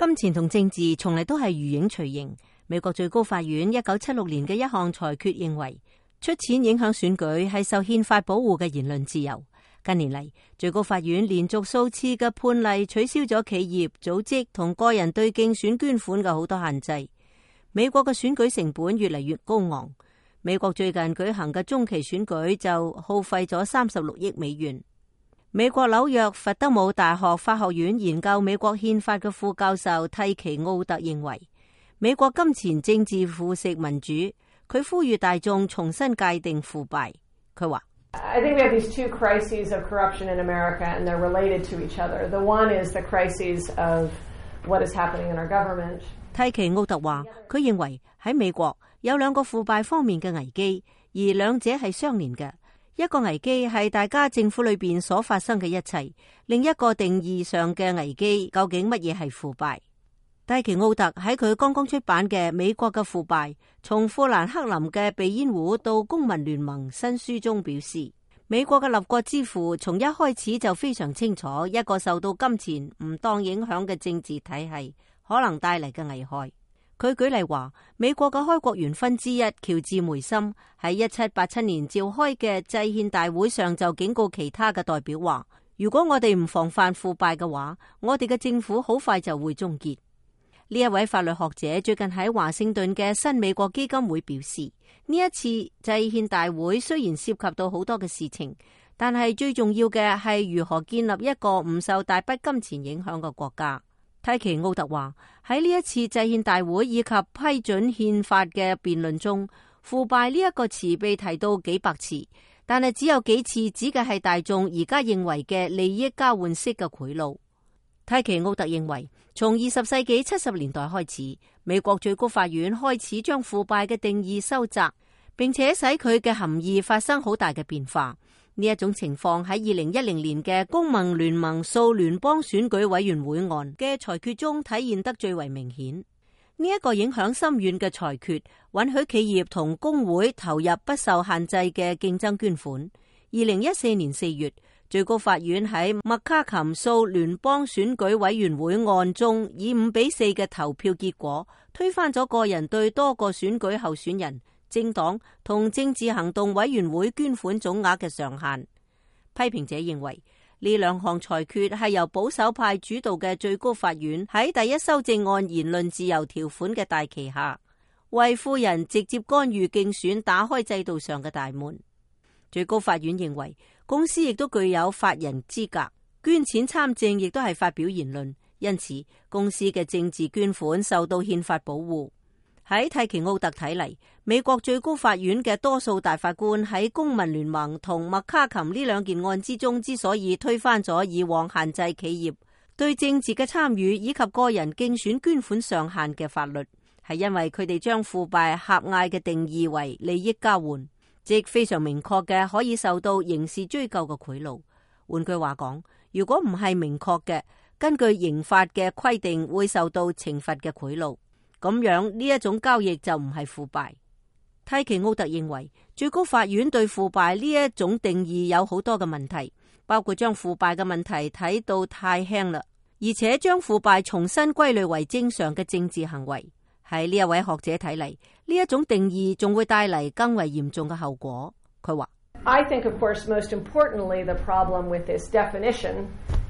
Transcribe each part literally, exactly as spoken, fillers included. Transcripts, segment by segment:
金錢同政治從嚟都係如影隨形。美國最高法院一九七六年嘅一項裁決認為，出錢影響選舉係受憲法保護嘅言論自由。近年嚟，最高法院連續數次嘅判例取消咗企業、組織同個人對競選捐款嘅好多限制。美國嘅選舉成本越嚟越高昂。美國最近舉行嘅中期選舉就耗費咗三十六億美元。美國紐約佛德姆大學法學院研究美國憲法嘅副教授蒂奇奧特認為，美國金錢政治腐蝕民主。佢呼籲大眾重新界定腐敗。佢話I think we have these two crises of corruption in America, and they're related to each other. The one is the crises of what is happening in our government. 蒂奇奧特話，佢認為喺美國有兩個腐敗方面嘅危機，而兩者係相連嘅。一個危機係大家政府裏邊所發生嘅一切，另一個定義上嘅危機，究竟乜嘢係腐敗？蒂奇奧特喺佢剛剛出版嘅《美國嘅腐敗》，從富蘭克林嘅鼻煙壺到公民聯盟新書中表示，美國嘅立國之父從一開始就非常清楚一個受到金錢唔當影響嘅政治體系可能帶嚟嘅危害。佢舉例話，美國嘅開國元勳之一喬治梅森喺一七八七年召開嘅制憲大會上就警告其他嘅代表話，如果我哋唔防範腐敗嘅話，我哋嘅政府好快就會終結。呢一位法律學者最近喺華盛頓嘅新美國基金會表示，呢一次制憲大會雖然涉及到好多嘅事情，但係最重要嘅係如何建立一個唔受大筆金錢影響嘅國家。蒂奇奧特話，喺呢一次制憲大會以及批准憲法嘅辯論中，腐敗呢一個詞被提到幾百次，但係只有幾次指嘅係大眾而家認為嘅利益交換式嘅賄賂。蒂奇奧特認為，從二十世紀七十年代開始，美國最高法院開始將腐敗嘅定義收窄，並且使佢嘅含義發生好大嘅變化。呢一種情況喺二零一零年嘅公民聯盟訴聯邦選舉委員會案嘅裁決中體現得最為明顯。呢一個影響深遠嘅裁決，允許企業同工會投入不受限制嘅競爭捐款。二零一四年四月，最高法院喺麥卡琴訴聯邦選舉委員會案中，以五比四嘅投票結果，推翻咗個人對多個選舉候選人、政黨同政治行動委員會捐款總額嘅上限。批評者認為，呢兩項裁決係由保守派主導嘅最高法院喺第一修正案言論自由條款嘅大旗下，為富人直接干預競選打開制度上嘅大門。最高法院認為，公司亦都具有法人資格，捐錢參政亦都係發表言論，因此公司嘅政治捐款受到憲法保護。喺蒂奇奧特睇嚟，美國最高法院嘅多數大法官喺公民聯盟同麥卡琴呢兩件案之中之所以推翻咗以往限制企業對政治嘅參與以及個人競選捐款上限嘅法律，係因為佢哋將腐敗狹隘嘅定義為利益交換，即非常明確嘅可以受到刑事追究嘅賄賂。換句話講，如果唔係明確嘅，根據刑法嘅規定會受到懲罰嘅賄賂，咁樣呢一種交易就唔係腐敗。蒂奇奧特認為，最高法院對腐敗呢一種定義有好多嘅問題，包括將腐敗嘅問題睇到太輕啦，而且將腐敗重新歸類為正常嘅政治行為。喺呢一位學者睇嚟，呢一種定義仲會帶嚟更為嚴重嘅後果。佢話I think, of course, most importantly, the problem with this definition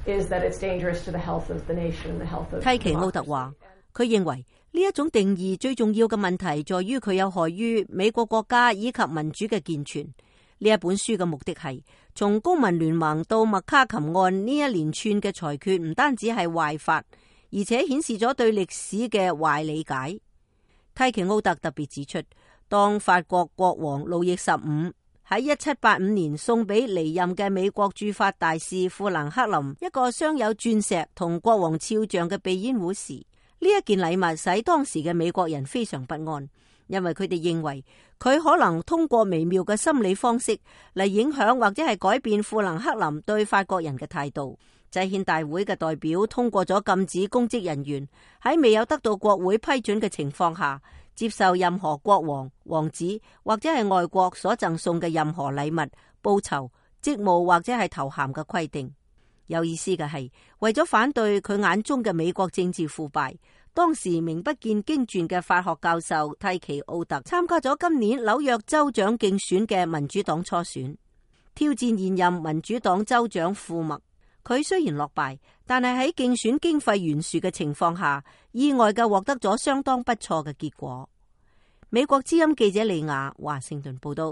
is that it's dangerous to the health of the nation, the health of democracy. 蒂奇奧特話，佢認為呢一種定義最重要嘅問題在於佢有害於美國國家以及民主嘅健全。呢一本書嘅目的係從公民聯盟到麥卡琴案呢一連串嘅裁決，唔單止係壞法，而且顯示咗對歷史嘅壞理解。蒂奇奧特特別指出，當法國國王路易十五喺一七八五年送俾離任嘅美國駐法大使富蘭克林一個鑲有鑽石同國王肖像嘅鼻煙壺時，呢一件禮物使當時嘅美國人非常不安，因為佢哋認為佢可能通過微妙嘅心理方式嚟影響或者係改變富蘭克林對法國人嘅態度。制憲大會嘅代表通過咗禁止公職人員喺未有得到國會批准嘅情況下接受任何國王、王子或者係外國所贈送嘅任何禮物、報酬、職務或者係頭銜嘅規定。有意思嘅係，為咗反對佢眼中嘅美國政治腐敗，當時名不見經傳嘅法學教授蒂奇奧特參加咗今年紐約州長競選嘅民主黨初選，挑戰現任民主黨州長庫麥。佢雖然落敗，但係喺競選經費懸殊嘅情況下，意外嘅獲得咗相當不錯嘅結果。美國之音記者李雅華盛頓報道。